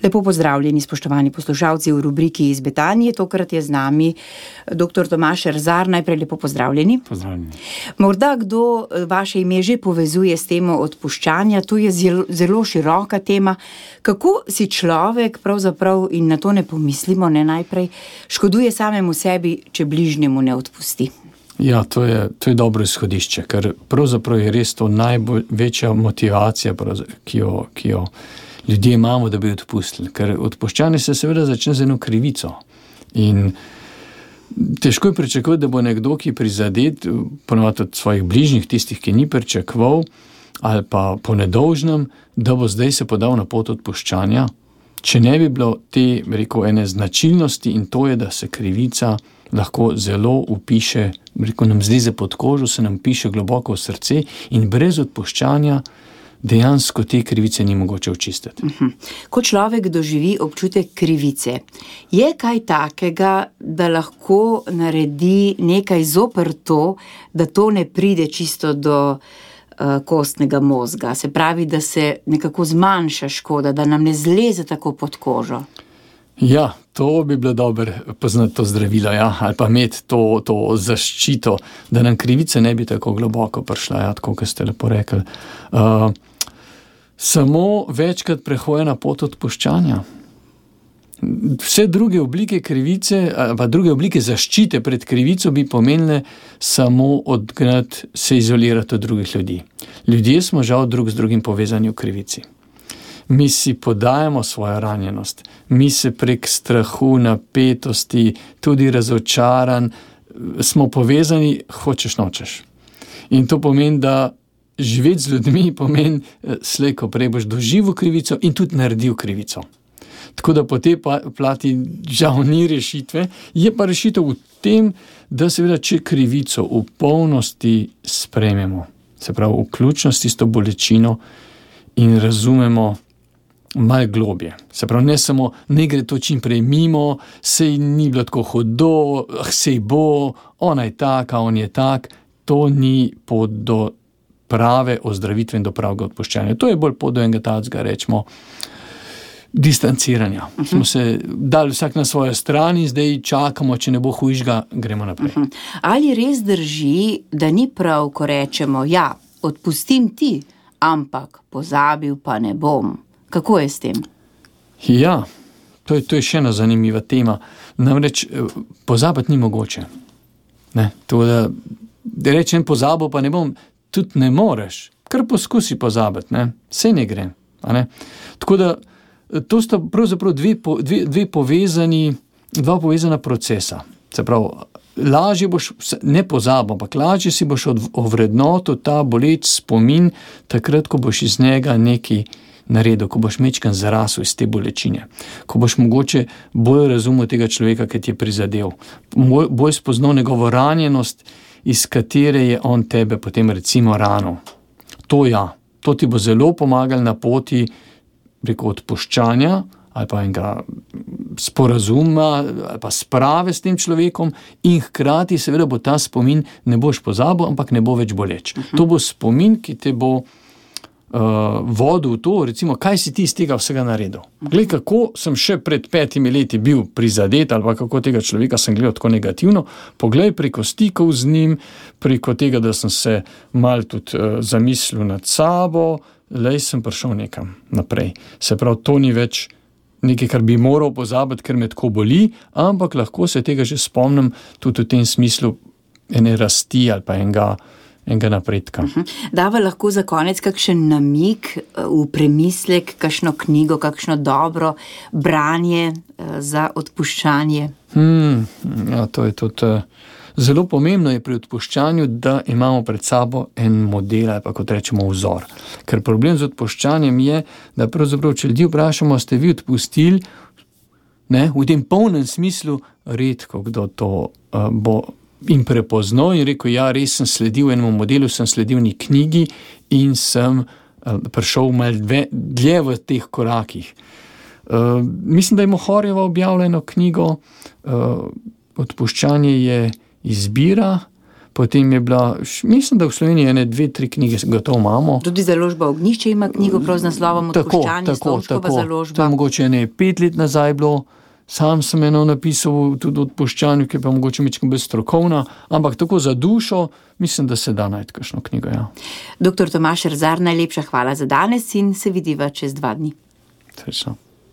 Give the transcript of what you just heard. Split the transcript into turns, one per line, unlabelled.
Lepo pozdravljeni, spoštovani poslušalci v rubriki Iz Betanije. Tokrat je z nami dr. Tomaž Erzar. Najprej lepo pozdravljeni.
Pozdravljeni.
Morda kdo vaše ime že povezuje s temo odpuščanja. To je zelo široka tema. Kako si človek pravzaprav, in na to ne pomislimo, ne najprej, škoduje samemu sebi, če bližnjemu ne odpusti?
Ja, to je dobro izhodišče, ker pravzaprav je res to največja motivacija, ki jo ljudje imamo, da bi odpustili. Ker odpuščanje se seveda začne z eno krivico. In težko je pričakovati, da bo nekdo, ki prizadet, ponovadi od svojih bližnjih, tistih, ki ni pričakoval, ali pa po nedolžnem, da bo zdaj se podal na pot odpuščanja, če ne bi bilo te, ene značilnosti, in to je, da se krivica lahko zelo upiše, nam zleze pod kožo, se nam piše globoko v srce in brez odpuščanja dejansko te krivice ni mogoče očistiti.
Ko človek doživi občutek krivice, je kaj takega, da lahko naredi nekaj zoper to, da to ne pride čisto do kostnega mozga? Se pravi, da se nekako zmanjša škoda, da nam ne zleze tako pod kožo?
Ja, to bi bilo dobro poznati to zdravilo, ja, ali pa imeti to zaščito, da nam krivica ne bi tako globoko prišla, ja, tako, kot ste lepo rekli. Samo večkrat prehojena pot odpuščanja. Vse druge oblike krivice, pa druge oblike zaščite pred krivico bi pomenile samo odgnati, se izolirati od drugih ljudi. Ljudje smo žal drug z drugim povezani v krivici. Mi si podajamo svojo ranjenost, mi se prek strahu, napetosti, tudi razočaran, smo povezani, hočeš nočeš. In to pomeni, da živeti z ljudmi pomeni, slej ko prej boš doživel krivico in tudi naredil krivico. Tako da po tej plati žal ni rešitve, je pa rešitev v tem, da seveda, če krivico v polnosti sprejmemo, se pravi vključno s tisto bolečino in razumemo malo globje. Se pravi, ne samo, ne gre to čim prej mimo, sej ni bilo tako hudo, sej bo, ona je taka, on je tak, to ni pot do prave ozdravitve in do pravega odpuščanja. To je bolj pot do enega tacga, rečemo, distanciranja. Smo se dali vsak na svojo stran in zdaj čakamo, če ne bo hujšega, gremo naprej.
Ali res drži, da ni prav, ko rečemo, ja, odpustim ti, ampak pozabil pa ne bom? Kako je s tem?
Ja, to je še ena zanimiva tema. Namreč pozabiti ni mogoče. Ne? To, da rečem pozabil pa ne bom, tudi ne moreš. Kar poskusi pozabiti, ne? Saj ne gre. Ne? Tako da to sta pravzaprav dva povezana procesa. Se pravi, lažje boš, ne pozabil, ampak lažje si boš ovrednotil ta boleč spomin, takrat, ko boš iz njega nekaj naredil, ko boš mečkan zarasel iz te bolečine, ko boš mogoče bolj razumel tega človeka, ki ti je prizadel, bolj spoznal njegovo ranjenost, iz katere je on tebe potem recimo ranil. To ti bo zelo pomagalo na poti preko odpuščanja ali pa enega sporazuma ali pa sprave s tem človekom in hkrati seveda bo ta spomin, ne boš pozabil, ampak ne bo več boleč. To bo spomin, ki te bo vodil v to, recimo, kaj si ti iz tega vsega naredil. Glej, kako sem še pred 5 leti bil prizadet, ali pa kako tega človeka sem gledal tako negativno, poglej preko stikov z njim, preko tega, da sem se malo tudi zamislil nad sabo, lej, sem prišel nekam naprej. Se pravi, to ni več nekaj, kar bi moral pozabiti, ker me tako boli, ampak lahko se tega že spomnim tudi v tem smislu ene rasti ali pa enega napredka.
Dava lahko za konec kakšen namig v premislek, kakšno knjigo, kakšno dobro branje za odpuščanje?
Ja, to je tudi zelo pomembno je pri odpuščanju, da imamo pred sabo en model ali pa kot rečemo vzor. Ker problem z odpuščanjem je, da pravzaprav, če ljudi vprašamo, ste vi odpustili, ne, v tem polnem smislu, redko kdo to bo in prepoznal in rekel, ja, res sem sledil enemu modelu, sem sledil ni knjigi in sem prišel malo dlje v teh korakih. Mislim, da je Mohorjeva objavila eno knjigo, Odpuščanje je izbira, Potem je bila, mislim, da v Sloveniji 2-3 knjige gotovo imamo.
Tudi založba Ognjišče ima knjigo prav z naslovom Odpuščanje, Stovškova založba.
To je mogoče 5 let nazaj bilo. Sam sem eno napisal tudi Odpuščanju, ki je pa mogoče mičko bolj strokovna, ampak tako za dušo, mislim, da se da najti kakšno knjigo, ja.
Dr. Tomaž Erzar, najlepša hvala za danes in se vidiva čez 2 dni.
Srečno.